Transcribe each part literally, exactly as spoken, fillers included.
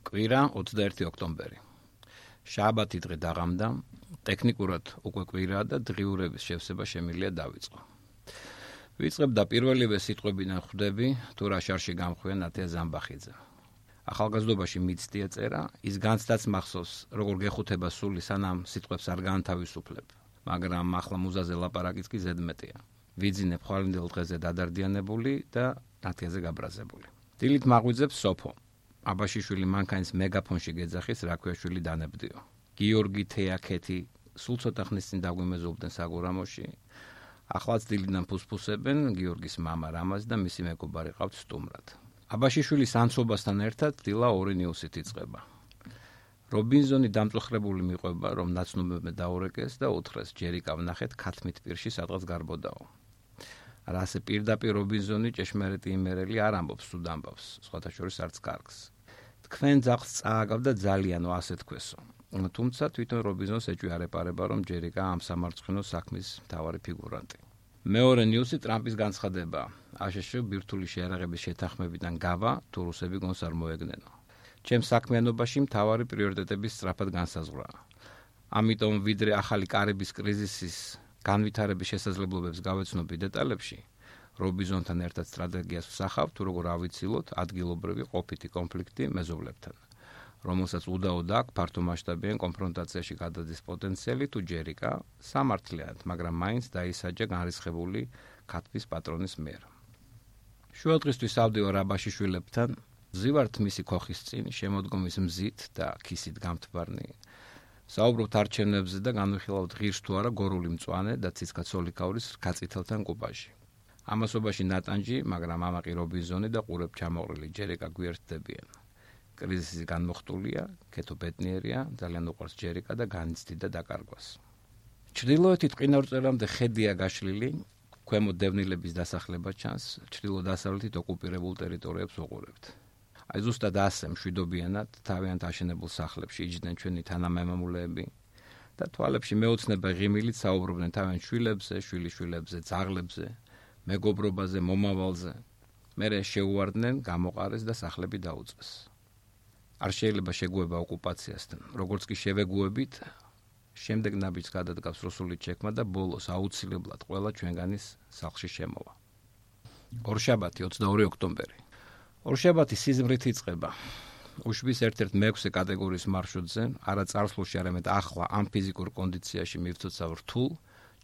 კვირა ოცდაერთი ოქტომბერი. შაბათი დღე დაღამდა, ტექნიკურად უკვე კვირაა და დღიურების შევსება შემიძლია დავიწყო. ვიწყებ და პირველივე სიტყვებიდან ხვდები, თუ რა შარში გამხვია ნათია ზამბახიძე. ახალგაზრდობაში მიცდია წერა, ის განცდაც მახსოვს, როგორ გეხუთება სული სანამ სიტყვებს არ განთავისუფლებ, მაგრამ ახლა მუზაზე ლაპარაკიც კი ზედმეტია. ვიძინებ ხვალინდელ დღეზე დადარდიანებული და ნათიაზე გაბრაზებული. დილით მაღვიძებს სოფო. აბაშიშვილი მანქანის მეგაფონში გეძახის, რა ქვია შვილი დანებდიო. გიორგი თეაქეთი სულ ცოტა ხნის წინ დაგვიმეზობდნენ საგურამოში. ახლაც დილიდან ფუსფუსებენ, გიორგის მამა რამაზ და მისი მეგობარი ყავთ სტუმრად. აბაშიშვილის ანცობასთან ერთად დილა ორი ნიუსით იწყება. რობინზონი დამწუხრებული მიყვება, რომ ნაცნობებმა დაურეკეს და უთხრეს ჯერიკა ვნახეთ ქათმით პირში სადღაც გარბოდაო. რასე პირდაპირ რობინზონი ჭეშმარიტი იმერელი არ ამბობს თუ დამბავს, სხვათა შორის არც კარგს. თქვენ ძაღლს წააგავდა ძალიანო, ასე თქვესო. თუმცა თვითონ რობინზონს ეჭვი არ ეპარება, რომ ჯერიკა ამ სამარცხინო საქმის მთავარი ფიგურანტი. მეორე ნიუსი ტრამპის განცხადება. აშშ ბირთვული შეარაღების შეთანხმებიდან გავა, თუ რუსები გონს არ მოეგნენო. ჩემს საქმიანობაში მთავარი პრიორიტეტების სწრაფად განსაზღვრაა. ამიტომ ვიდრე ახალი კარიბის კრიზისის განვითარების შესაძლებლობებს გავეცნობი დეტალებში, რობინზონთან ერთად სტრატეგიას ვსახავ, თუ როგორ ავიცილოთ ადგილობრივი ყოფითი კონფლიქტი მეზობლებთან, რომელსაც უდაოდ აქვს ფართომასშტაბიან კონფრონტაციაში გადადის პოტენციალი თუ ჯერიკა სამართლიანად, მაგრამ მაინც დაისაჯა განრისხებული ქათმის პატრონის მიერ. შუადღისთვის ავდივარ აბაშიშვილებთან, ვზივართ მისი ქოხის წინ, შემოდგომის მზით და ქისით გამთბარნი. საუბრობთ არჩევნებზე და განვიხილავთ ღირს თუ არა გორული მწვანე და ციცქა-ცოლიქაურის რქაწითელთან კუპაჟი. ამასობაში ნატანჯი, მაგრამ ამაყი რობინზონი და ყურებ ჩამოყრილი ჯერიკა გვერდდებიან. კრიზისი განმოხტულია, ქეთო ბედნიერია, ძალიან უყვარს ჯერიკა და განიცდიდა დაკარგვას. ჩრდილოეთით ყინავრწელამდე ხედია გაშლილი, ქვემო დევნილების დასახლება ჩანს, ჩრდილო-დასავლეთით ოკუპირებულ ტერიტორიებს უყურებთ. აი ზუსტად ასე მშვიდობიანად თავიანთ აშენებულ სახლებში იჯდნენ ჩვენი თანამემამულეები და თვალებში მეოცნება ღიმილით საუბრობდნენ თავიანთ შვილებზე, შვილიშვილებზე, ძაღლებზე, მეგობრობაზე, მომავალზე. მერე შეუვარდნენ, გამოყარეს და სახლები დაუწეს. არ შეიძლება შეგუება ოკუპაციასთან, როგორც კი შევეგუებით, შემდეგ ნაბიჯს გადადგავს რუსული ჩექმა და ბოლოს აუცილებლად ყველა ჩვენგანის სახლში შემოვა. ორშაბათი ოცდაორი ოქტომბერი. ორშაბათი სიზმრით იწყება. უშვის ერთ-ერთ მეექვსე კატეგორიის მარშრუტზე, არა წარსულში, არამედ ახლა ამ ფიზიკურ კონდიციაში მივცოცავ რთულ,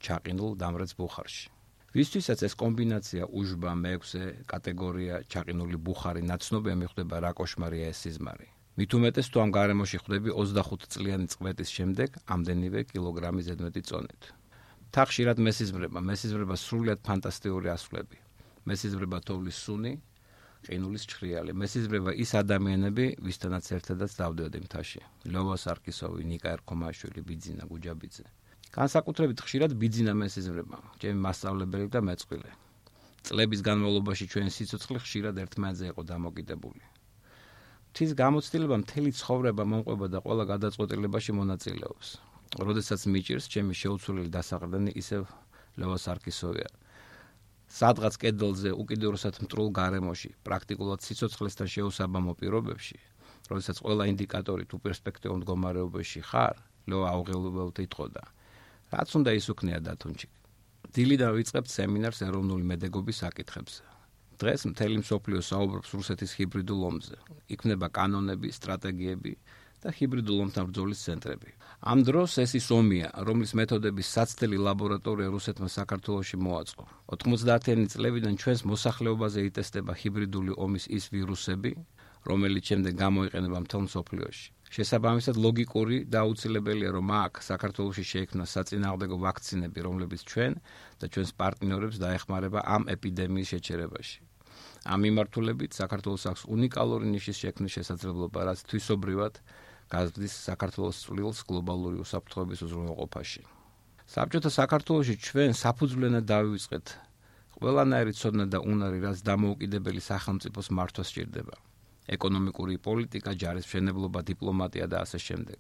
ჩაყინულ დამრეც ბუხარში. ვისთვისაც ეს კომბინაცია უშბა, მეექვსე კატეგორია, ჩაყინული ბუხარი ნაცნობია, მიხვდება რა კოშმარია ეს სიზმარი. მით უმეტეს თუ ამ გარემოში ხვდები ოცდახუთი წლიანი წვეთის შემდეგ ამდენივე კილოგრამი ზედმეტი წონით. თა ხშირად მესიზმრება, მესიზმრება სრულიად ფანტასტიკური ასვლები. მესიზმრება თოვლის სუნი, ყინულის ჩხრიალი. მესიზმრება ის ადამიანები, ვისთანაც ერთადაც დავდიოდი მთაში. ლევა სარკისოვი, ნიკა ერქომაშვილი, ბიძინა გუჯაბიძე. განსაკუთრებით ხშირად ბიძინა მესიზმრება, ჩემი მასწავლებელი და მეწყვილე. წლების განმავლობაში ჩვენი სიცოცხლე ხშირად ერთმანეთზე იყო დამოკიდებული. მთის გამოცდილება მთელი ცხოვრება მომყვება და ყველა გადაწყვეტილებაში მონაწილეობს. როდესაც მიჭირს, ჩემი შეუცვლელი დასაყრდენი ისევ ლევა სარკისოვია. სადღაც კედელზე უკიდურესად მტრულ გარემოში, პრაქტიკულად სიცოცხლესთან შეუსაბამო პირობებში, როდესაც ყველა ინდიკატორი თუ პერსპექტიულ მდგომარეობაში ხარ, ლევა აუღელებლად იტყოდა. რაც უნდა ის უქნია დათუნჩიკ. დილიდან ვიწყებთ სემინარს ეროვნული მედეგობის საკითხებზე. დღეს მთელი მსოფლიო საუბრობს რუსეთის ჰიბრიდულ ომზე. იქმნება კანონები, სტრატეგიები და ჰიბრიდულ ომთან ბრძოლის ცენტრები. ამ დროს ეს ის ომია, რომლის მეთოდების საცდელი ლაბორატორია რუსეთმა საქართველოში მოაწყო. ოთხმოცდაათიანი წლებიდან ჩვენს მოსახლეობაზე იტესტება ჰიბრიდული ომის ის ვირუსები, რომელიც შემდეგ გამოიყენება მთელ მსოფლიოში. შესაბამისად ლოგიკური და აუცილებელია, რომ აქ საქართველოში შეიქმნა საწინააღმდეგო ვაქცინები, რომლებიც ჩვენ და ჩვენს პარტნიორებს დაეხმარება ამ ეპიდემიის შეჩერებაში. ამ მიმართულებით საქართველოს აქვს უნიკალური ნიშის შექმნის შესაძლებლობა, რაც თვისობრივად გაზრდის საქართველოს წვლილს გლობალური უსაფრთხოების უზრუნველყოფაში. საბჭოთა საქართველოში ჩვენ საფუძვლიანად დავივიწყეთ ყველანაირი ცოდნა და უნარი, რაც დამოუკიდებელი სახელმწიფოს მართვას სჭირდება. ეკონომიკური პოლიტიკა, ჯარისმშენებლობა, დიპლომატია და ასე შემდეგ.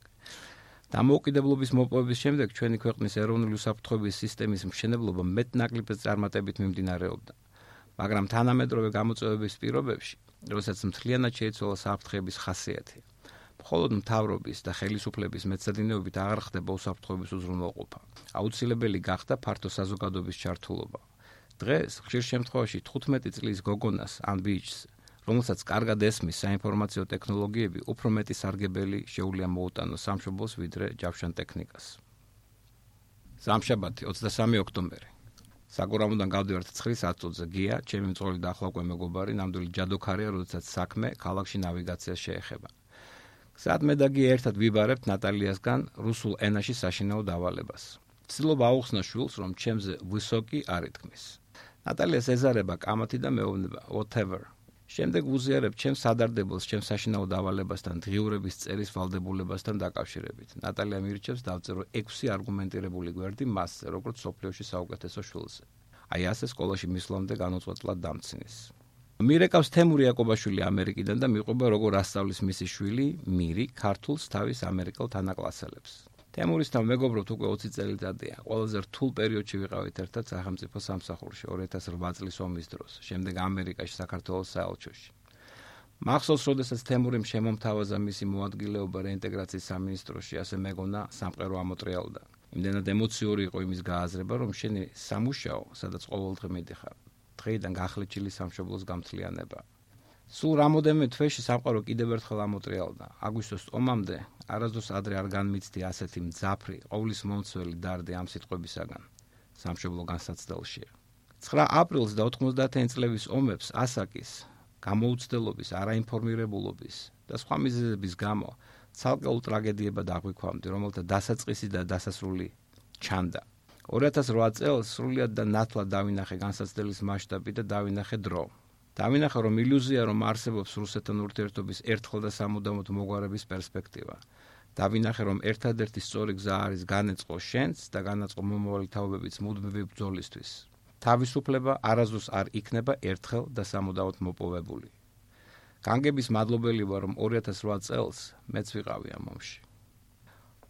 დამოუკიდებლობის მოპოვების შემდეგ ჩვენი ქვეყნის ეროვნული უსაფრთხოების სისტემის მშენებლობა მეტნაკლებად წარმატებით მიმდინარეობდა. მაგრამ თანამედროვე გამოწვევების პირობებში როდესაც მთლიანად შეიცვალა საფრთხეების ხასიათი. მხოლოდ მთავრობის და ხელისუფლების მეცადინეობით აღარ ხდება უსაფრთხოების უზრუნველყოფა. აუცილებელი გახდა ფართო საზოგადოების ჩართულობა. დღეს ხშირ შემთხვევაში თხუთმეტი წლის გოგონას ან ბიჭს, რომელსაც კარგად ესმის საინფორმაციო ტექნოლოგიები, უფრო მეტი სარგებელი შეუძლია მოუტანოს სამშობლოს ვიდრე ჯავშან ტექნიკას. სამშაბათი, ოცდასამი ოქტომბერი. საგურამოდან გავდივართ ცხრის ათწუთზე. გია, ჩემი მწვავრი და ახლავკვე მეგობარი, ნამდვილი ჯადოქარია, როდესაც საქმე ქალაქში ნავიგაციას შეეხება. გზად მე და გია ერთად ვიბარებთ ნატალიასგან რუსულ ენაში საშინაო დავალებას. ვცდილობ აუხსნა შვილს, რომ ჩემზე ვისოკი არ ითქმის. ნატალიას ეზარება კამათი და მეუბნება whatever. შემდეგ ვუზიარებ ჩემს სადარდებელს ჩემს საშინაო დავალებასთან დღიურების წერის ვალდებულებასთან დაკავშირებით. ნატალია მირჩევს დავწერო ექვსი არგუმენტირებული გვერდი მასზე, როგორც სოფლიოში საუკეთესო შვილზე. აი ასე სკოლაში მისვლამდე განუწყვეტლად დამცინის. მირეკავს თემური იაკობაშვილი ამერიკიდან და მიყვება როგორ ასწავლის მისი შვილი მირი ქართულს თავის ამერიკელ თანაკლასელებს. თემურისთან მეგობრობთ უკვე ოცი წელიწადია. ყველაზე რთულ პერიოდში ვიყავით ერთად სახელმწიფო სამსახურში ორი ათას რვა წლის ომის დროს, შემდეგ ამერიკაში საქართველოს საელჩოში. მახსოვს, როდესაც თემურიმ შემომთავაზა მისი მოადგილეობა რეინტეგრაციის სამინისტროში, ასე მეგონა სამყარო ამოტრიალდა. იმდენად ემოციური იყო იმის გააზრება, რომ შენი სამუშაო, სადაც ყოველდღე მიდიხარ, დღეიდან გახლეჩილი სამშობლოს გამთლიანება. სულ რამოდენიმე თვეში სამყარო კიდევ ერთხელ ამოტრიალდა. აგვისტოს ომამდე არასდროს ადრე არ განმიცდი ასეთი მძაფრი, ყოვლის მომცველი დარდი ამ სიტყვებისაგან. სამშობლო განსაცდელშია. ცხრა აპრილს და ოთხმოცდაათი წლების ომებს ასაკის, გამოუცდელობის, არაინფორმირებულობის და სხვა მიზეზების გამო ცალკეულ ტრაგედიებად აღვიქვამდი, რომელთა დასაწყისი და დასასრული ჩანდა. ორი ათას რვა წელს სრულიად და ნათლად დავინახე განსაცდელის მასშტაბი და დავინახე დრო. დავინახე, რომ ილუზია, რომ არსებობს რუსეთთან ურთიერთობის ერთხელ და სამუდამოდ მოგვარების პერსპექტივა. დავინახე, რომ ერთადერთი სწორი გზა არის განეწყო შენს და განაწყო მომავალი თაობებიც მუდმივი ბრძოლისთვის. თავისუფლება არასდროს არ იქნება ერთხელ და სამუდამოდ მოპოვებული. განგების მადლობელი ვარ, რომ ორი ათას რვა წელს მეც ვიყავი ამ ომში.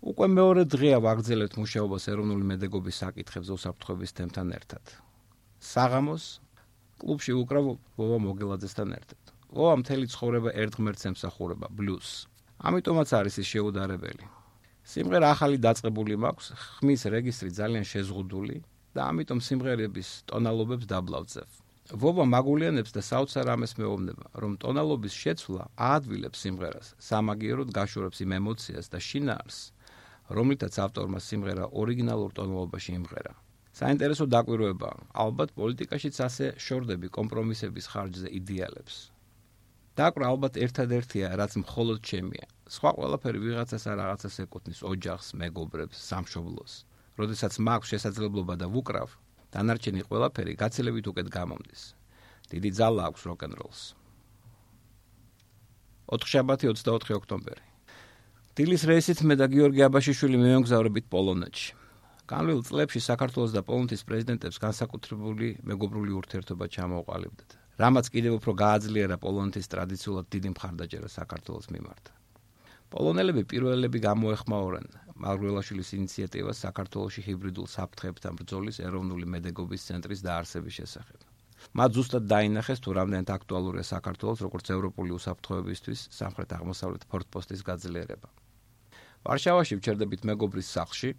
უკვე მეორე დღეა ვაგრძელებთ მუშაობას ეროვნული მედეგობის საკითხებზე უსაფრთხოების თემთან ერთად. საღამოს კლუბში უკრავ ვოვა მოგელაძესთან ერთად. ვოვა მთელი ცხოვრება ერთ ღმერთს ემსახურება, ბლუზს. ამიტომაც არის ის შეუდარებელი. სიმღერა ახალი დაწყებული მაქვს, ხმის რეგისტრი ძალიან შეზღუდული და ამიტომ სიმღერების ტონალობებს დაბლავწევ. ვოვა მაგულიანებს და საოცარ ამას მეუბნება, რომ ტონალობის შეცვლა აადვილებს სიმღერას, სამაგიეროდ გაშორებს იმ ემოციას და შინაარსს, რომლითაც ავტორმა სიმღერა ორიგინალურ ტონალობაში იმღერა. საინტერესო დაკვირვებაა, ალბათ პოლიტიკაშიც ასე შორდები კომპრომისების ხარჯზე იდეალებს. დაკვრა ალბათ ერთადერთია, რაც მხოლოდ ჩემია. სხვა ყველაფერი ვიღაცას ან რაღაცას ეკუთვნის, ოჯახს, მეგობრებს, სამშობლოს. როდესაც მაქვს შესაძლებლობა და ვუკრავ, დანარჩენი ყველაფერი გაცილებით უკეთ გამომდის. დიდი ძალა აქვს როკ-ენ-როლს. ოთხშაბათი, ოცდაოთხი ოქტომბერი. დილის რეისით მე და გიორგი აბაშიშვილი მივემგზავრებით პოლონეთში. განვლილ წლებში საქართველოს და პოლონეთის პრეზიდენტებს განსაკუთრებული მეგობრული ურთიერთობა ჩამოუყალიბდათ, რამაც კიდევ უფრო გააძლიერა პოლონეთის ტრადიციულად დიდი მხარდაჭერა საქართველოს მიმართ. პოლონელები პირველები გამოეხმაურნენ მარგველაშვილის ინიციატივას საქართველოში ჰიბრიდულ საფრთხეებთან ბრძოლის ეროვნული მედეგობის ცენტრის დაარსების შესახებ. მათ ზუსტად დაინახეს, თუ რამდენად აქტუალურია საქართველოს როგორც ევროპული უსაფრთხოებისთვის სამხრეთ-აღმოსავლეთ ფორტპოსტის გაძლიერება. ვარშავაში ვჩერდებით მეგობრის სახლში.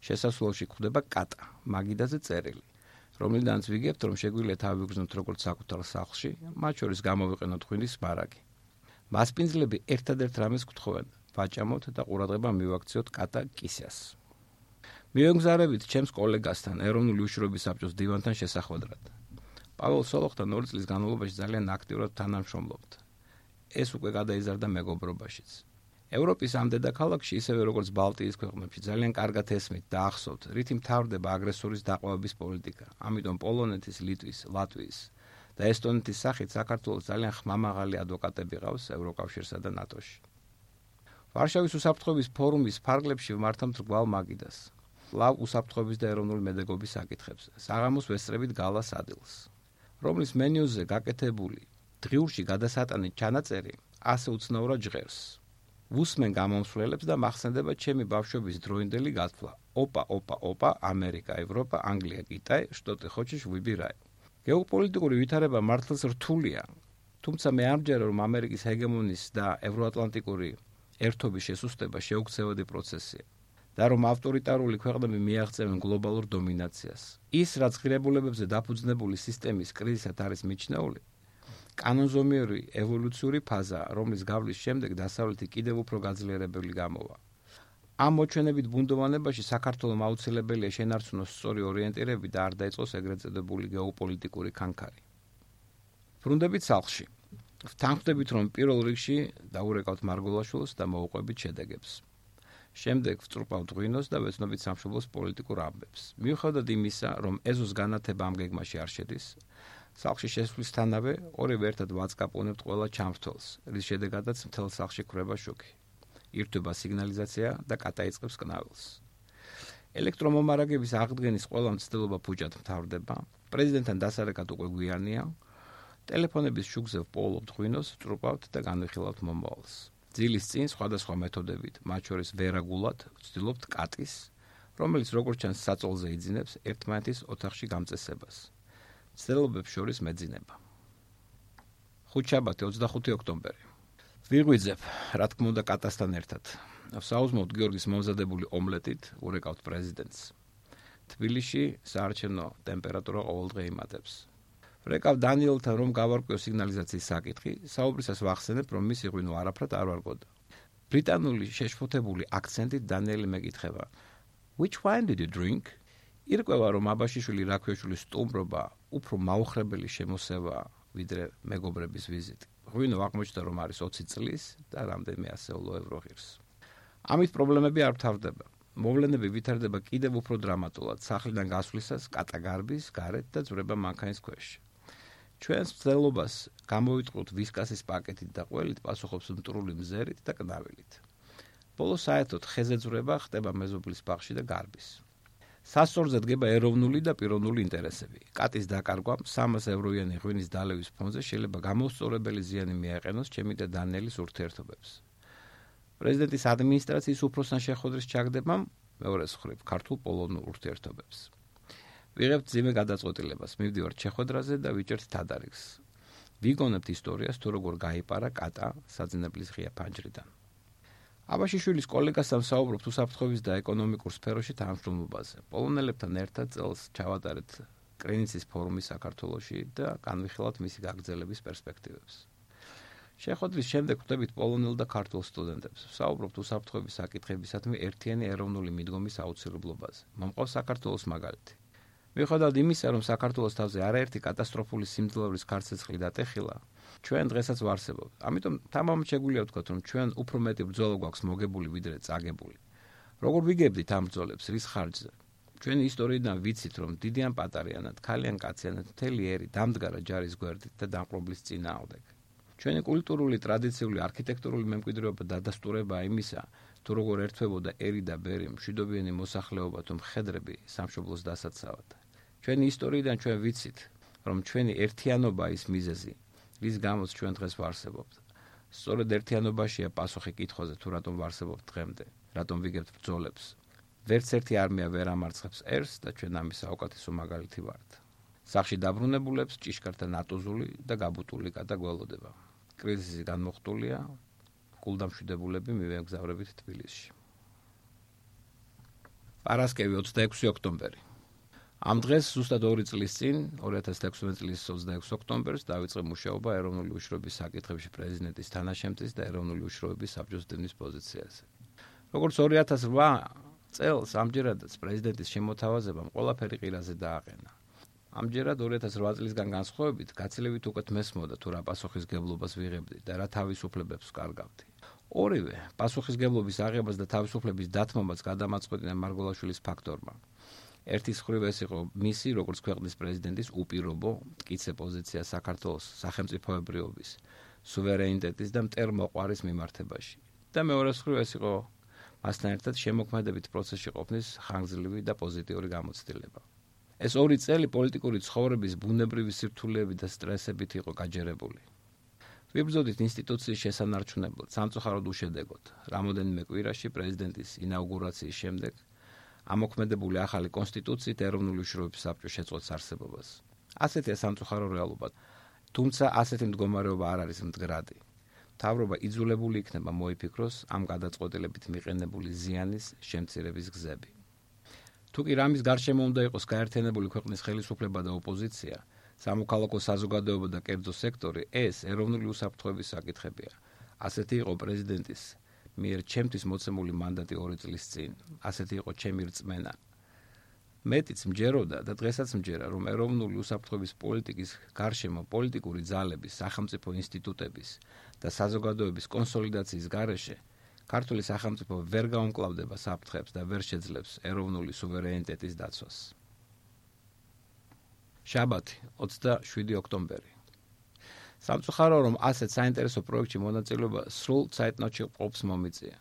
შესასვლელში გვხვდება კატა, მაგიდაზე წერილი, რომლიდანაც ვიგებთ, რომ შეგვიძლია თავი ვიგრძნოთ როგორც საკუთარ სახლში, მათ შორის გამოვიყენოთ ღვინის მარაგი. მასპინძლები ერთადერთ რამეს გვთხოვენ, ვაჭამოთ და ყურადღება მივაქციოთ კატა კისას. მივემგზავრებით ჩემს კოლეგასთან, ეროვნული უშიშროების საბჭოს დივანთან შესახვედრად. პაველ სოლოხთან ორი წლის განმავლობაში ძალიან აქტიურად თანამშრომლობთ. ეს უკვე გადაიზარდა მეგობრობაშიც. ევროპის ამ დედაქალაქში, ისევე როგორც ბალტიის ქვეყნებში, ძალიან კარგად ესმით და ახსოვთ, რითი მთავრდება აგრესორის დაყვავების პოლიტიკა. ამიტომ პოლონეთის, ლიტვის, ლატვიის და ესტონეთის სახით საქართველოს ძალიან ხმამაღალი ადვოკატები ყავს ევროკავშირსა და ნატოში. ვარშავის უსაფრთხოების ფორუმის ფარგლებში ვმართავთ რგვალ მაგიდას. კვლავ უსაფრთხოების და ეროვნული მედეგობის საკითხებზე. საღამოს ვესწრებით გალას ადილს, რომლის მენიუზე გაკეთებული დღიურში გადასატანით ჩანაწერი ასე უცნაურად ჟღერს. ვუსმენ გამომსვლელებს და მახსენდება ჩემი ბავშვობის დროინდელი გათვლა. ოპა, ოპა, ოპა, ამერიკა, ევროპა, ანგლია, კიტაი, შტოტი ხოჩიშ ვიბირაი. გეოპოლიტიკური ვითარება მართლაც რთულია. თუმცა მე არ მჯერა, რომ ამერიკის ჰეგემონის და ევროატლანტიკური ერთობის შესუსტება შეუქცევადი პროცესია და რომ ავტორიტარული ქვეყნები მიაღწევენ გლობალურ დომინაციას. ის, რაც ღირებულებებზე დაფუძნებული სისტემის კრიზისად არის მიჩნეული, კანონზომიერი ევოლუციური ფაზაა, რომლის გავლის შემდეგ დასავლეთი კიდევ უფრო გაძლიერებული გამოვა. ამ მოჩვენებით ბუნდოვანებაში საქართველოს აუცილებელია შენარჩუნოს სწორი ორიენტირები და არ დაიწყოს ეგრეთ წოდებული გეოპოლიტიკური კანკარი. ბრუნდებით სახლში. ვთანხმდებით, რომ პირველ რიგში დაურეკავთ მარგოლაშვილს და მოუყვებით შედეგებს. შემდეგ ვწრუპავთ ღვინოს და ვეცნობით სამშობლოს პოლიტიკურ ამბებს. მიუხედავად იმისა, რომ ეზოს განათება ამ გეგმაში არ შედის, სახლში შესვლისთანავე ორივე ერთად ვაწყაპონებთ ყველა ჩამრთველს, რის შედეგადაც მთელ სახლში ქრება შუქი. ირთვება სიგნალიზაცია და კატაიწყებს კნაველს. ელექტრომომარაგების აღდგენის ყველა მცდელობა ფუჭად მთავრდება. პრეზიდენტთან დასარეკად უკვე გვიანია. ტელეფონების შუქზე ვპოულობთ ღვინოს, ვწრუპავთ და განვიხილავთ მომავალს. ძილის წინ სხვადასხვა მეთოდებით, მათ შორის ვერაგულად, ვცდილობთ კატის, რომელიც როგორც ჩანს საწოლზე იძინებს ერთმანეთის ოთახში გამწესებას. მცდელობებს შორის მეძინება. ხუთშაბათი ოცდახუთი ოქტომბერი. ვიღვიძებ, რა თქმა უნდა, კატასთან ერთად. ვსაუზმოვთ გიორგის მომზადებული ომლეტით, ურეკავთ პრეზიდენტს. თბილისში საარჩევნო ტემპერატურა ყოველდღე იმატებს. ვრეკავ დანიელთან, რომ გავარკვიო სიგნალიზაციის საკითხი, საუბრისას ვახსენებ, რომ მისი ღვინო არაფრად არ ვარგოდა. ბრიტანული შეშფოთებული აქცენტით დანიელი მეკითხება: "Which wine did you drink?" ირკვევა, რომ აბაშიშვილი რაქვიაშვილის სტუმრობა უფრო მაუხრებელი შემოსევა, ვიდრე მეგობრების ვიზიტი. ღვინო აღმოჩნდა, რომ არის ოცი წლის და რამდენიმე ასეულო ევრო ღირს. ამით პრობლემები არ მთავრდება. მოვლენები ვითარდება კიდევ უფრო დრამატულად, სახლიდან გასვლისას კატა გარბის, გარეთ და ძვრება მანქანის ქვეშ. ჩვენს მცდელობას გამოვიტყუთ ვისკასის პაკეტით და ყველით პასუხობს მტრული მზერით და კნაველით. ბოლოს საერთოდ ხეზე ძვრება ხდება მეზობლის ბაღში და გარბის. სასწორზე დგება ეროვნული და პიროვნული ინტერესები. კატის დაკარგვა სამას ევროიანი ღვინის დალევის ფონზე შეიძლება გამოსწორებელი ზიანი მიაყენოს ჩემი და დანიელის ურთიერთობებს. პრეზიდენტის ადმინისტრაციის უფროსთან შეხვედრის ჩაგდებამ მეორე მხრივ ქართულ პოლონურ ურთიერთობებს. ვიღებთ ძიმე გადაწყვეტილებას, მივდივართ შეხვედრაზე და ვიჭერთ თადარიგს. ვიგონებთ ისტორიას, თუ როგორ გაიპარა კატა საძინებლის ღია ფანჯრიდან. აბაშიშვილის კოლეგასთან ვსაუბრობთ უსაფრთხოების და ეკონომიკურ სფეროში თანამშრომლობაზე. პოლონელებთან ერთად წელს ჩავატარეთ კრინიცის ფორუმი საქართველოში და განვიხილავთ მისი გაგრძელების პერსპექტივებს. შეხვედრის შემდეგ ხვდებით პოლონელ და ქართულ სტუდენტებს. ვსაუბრობთ უსაფრთხოების საკითხებისადმი ერთიანი ეროვნული მიდგომის აუცილებლობაზე. მომყავს საქართველოს მაგალითი. მიუხედავად იმისა, რომ საქართველოს თავზე არაერთი კატასტროფული სიმძლავრის ქარცეცხლი დატეხილა, ჩვენ დღესაც ვარსებობთ. ამიტომ თამამად შეგვიძლია ვთქვათ, რომ ჩვენ უფრო მეტი ბრძოლა გვაქვს მოგებული, ვიდრე წაგებული. როგორ ვიგებდით ამ ბრძოლებს, რის ხარჯზე? ჩვენი ისტორიიდან ვიცით, რომ დიდი ან პატარიანად, ქალი ან კაციანად მთელი ერი დამდგარა ჯარის გვერდით და დამპყრობლის წინააღმდეგ. ჩვენი კულტურული, ტრადიციული, არქიტექტურული მემკვიდრეობა დადასტურებაა იმისა, თუ როგორ ერთვებოდა ერი და ბერი, მშვიდობიანი მოსახლეობა თუ მხედრები სამშობლოს დასაცავად. ჩვენი ისტორიიდან ჩვენ ვიცით, რომ ჩვენი ერთიანობა ის მიზეზი, რის გამოც ჩვენ დღეს ვარსებობთ. სწორედ ერთიანობაშია პასუხი კითხვაზე, თუ რატომ ვარსებობთ დღემდე, რატომ ვიგებთ ბრძოლებს. ვერც ერთი არმია ვერ ამარცხებს ერს და ჩვენ ამის საუკეთესო მაგალითი ვართ. სახლში დაბრუნებულებს ჭიშკართან ატოზული და გაბუტული კატა გველოდება. კრიზისი განმოხტულია, გულდამშვიდებულები მივეგზავრებით თბილისში. პარასკევი ოცდაექვსი ოქტომბერი. ამ დღეს ზუსტად ორი წლის წინ, ორი ათას თექვსმეტი წლის ოცდაექვსი ოქტომბერს დაიწყო მუშაობა ეროვნული უშროების საკითხებში პრეზიდენტის თანაშემწის და ეროვნული უშროების საბჭოს დენის პოზიციაზე. როგორც ორი ათას რვა წელს ამჯერადაც პრეზიდენტის შემოთავაზებამ ყველაფერი ყირაზე დააყენა. ამჯერად ორი ათას რვა წლისგან განსხვავებით გაცილებით უკეთ მესმოდა თუ რა პასუხისგებლობას ვიღებდი და რა თავისუფლებებს ვკარგავდი. ორივე პასუხისგებლობის აღებას და თავისუფლების დათმობაც გადამაწყვეტინა მარგოლაშვილის ფაქტორმა. ერთის მხრივ ეს იყო მისი, როგორც ქვეყნის პრეზიდენტის უპირობო მტკიცე პოზიცია საქართველოს სახელმწიფოებრიობის, სუვერენიტეტის და მტერმოყვარის მიმართებაში. და მეორეს მხრივ ეს იყო მასთან ერთად შემოქმედებით პროცესში ყოფნის ხანგრძლივი და პოზიტიური გამოცდილება. ეს ორი წელი პოლიტიკური ცხოვრების ბუნებრივი სირთულეებით და სტრესებით იყო გაჯერებული. ვიბრძოდით ინსტიტუციის შესანარჩუნებლად, სამწუხაროდ უშედეგოდ. რამოდენიმე კვირაში პრეზიდენტის ინაუგურაციის შემდეგ ამოქმედებული ახალი კონსტიტუციით ეროვნული უშროების საბჭო შეწყვეტს არსებობას. ასეთია სამწუხარო რეალობა. თუმცა ასეთი მდგომარეობა არ არის მდგრადი. მთავრობა იძულებული იქნება მოიფიქროს ამ გადაწყვეტილებით მიყენებული ზიანის შემცირების გზები. თუ კი რამის გარშემო უნდა იყოს გაერთიანებული ქვეყნის ხელისუფლება და ოპოზიცია, სამოქალაქო საზოგადოება და კერძო სექტორი, ეს ეროვნული უსაფრთხოების საკითხებია. ასეთი იყო პრეზიდენტის მიერ ჩემთვის მოცემული მანდატი ორი წლის წინ. ასეთი იყო ჩემი რწმენა. მეტიც მჯეროდა და დღესაც მჯერა, რომ ეროვნული უსაფრთხოების პოლიტიკის გარშემო პოლიტიკური ძალების, სახელმწიფო ინსტიტუტების და საზოგადოების კონსოლიდაციის გარეშე ქართული სახელმწიფო ვერ გაუმკლავდება საფრთხებს და ვერ შეძლებს ეროვნული სუვერენიტეტის დაცვას. შაბათი, ოცდაშვიდი ოქტომბერი. სამწუხარო, რომ ასეთ საინტერესო პროექტში მონაწილეობა სრულ ცაეტნოტში ყოფს მომიწია.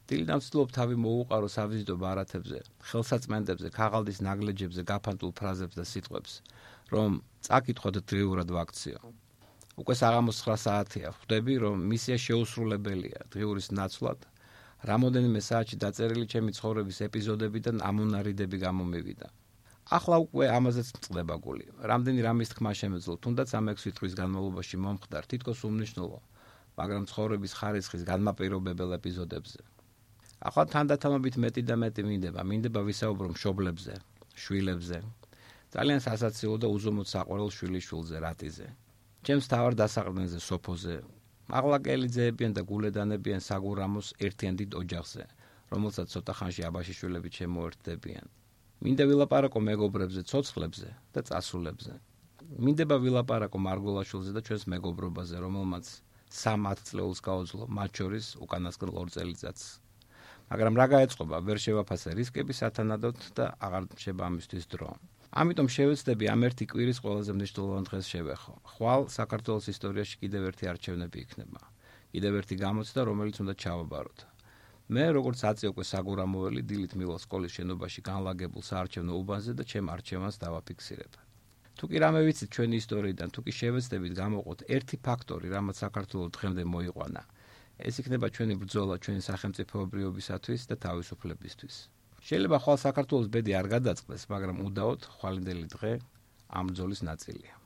დილიდან ვცდილობ თავი მოუყარო სავიზიტო ბარათებზე, ხელსაწმენდებზე, ქაღალდის ნაგლეჯებზე გაფანტულ ფრაზებს და სიტყვებს, რომ წაკითხოთ დღიურად ვაქციო. უკვე საღამოს ცხრა საათია, ხვდები, რომ მისია შეუსრულებელია დღიურის ნაცვლად, რამოდენიმე საათში დაწერილი ჩემი ცხოვრების ეპიზოდებიდან ამონარიდები გამომივიდა. ახლა უკვე ამაზეც მწყდება გული. რამდენი რამის თქმა შემეძლო, თუნდაც ამ ექვსი თვის განმავლობაში მომხდარ თითქოს უმნიშვნელო, მაგრამ ცხოვრების ხარისხის განმაპირობებელ ეპიზოდებზე. ახლა თანდათანობით მეტი და მეტი მინდება, მინდება ვისაუბრო მშობლებზე, შვილებზე, ძალიან სასაცილო და უზომოდ საყვარელ შვილიშვილზე, რატიზე. ჩემს თავარ დასაყრდენზე სოფოზე, მაღლაკელი ძეებიან და გულედანებიან საგურამოს ერთიან დიდ ოჯახზე, რომელსაც ცოტა ხანში აბაშიშვილები შემოერთდებიან. მინდა ვილაპარაკო მეგობრებზე, ცოცხლებზე და წასულებზე. მინდება ვილაპარაკო მარგოლაშვილზე და ჩვენს მეგობრობაზე, რომელმაც სამ ათწლეულს გაუძლო, მათ შორის უკანასკნელ ორ წელიწადს. მაგრამ რა გაეწყობა, ვერ შევაფასე რისკები სათანადოდ და აღარ რჩება ამისთვის დრო. ამიტომ შევეცდები ამ ერთი კვირის ყველაზე მნიშვნელოვან დღეს შევეხო. ხვალ საქართველოს ისტორიაში კიდევ ერთი არჩევნები იქნება. კიდევ ერთი გამოცდა, რომელიც უნდა ჩავაბაროთ. მე, როგორც ათი უკვე საგურამოველი, დილით მივალ სკოლის შენობაში განლაგებულ საარჩევნო უბანზე და ჩემ არჩევანს დავაფიქსირებ. თუ კი რამე ვიცით ჩვენი ისტორიიდან, თუ კი შევეცდებით გამოყოთ ერთი ფაქტორი, რამაც საქართველოს დღემდე მოიყვანა, ეს იქნება ჩვენი ბრძოლა ჩვენი სახელმწიფოებრიობისათვის და თავისუფლებისთვის. შეიძლება ხვალ საქართველოს ბედი არ გადაწყდეს, მაგრამ უდაოდ ხვალინდელი დღე ამ ბრძოლის ნაწილია.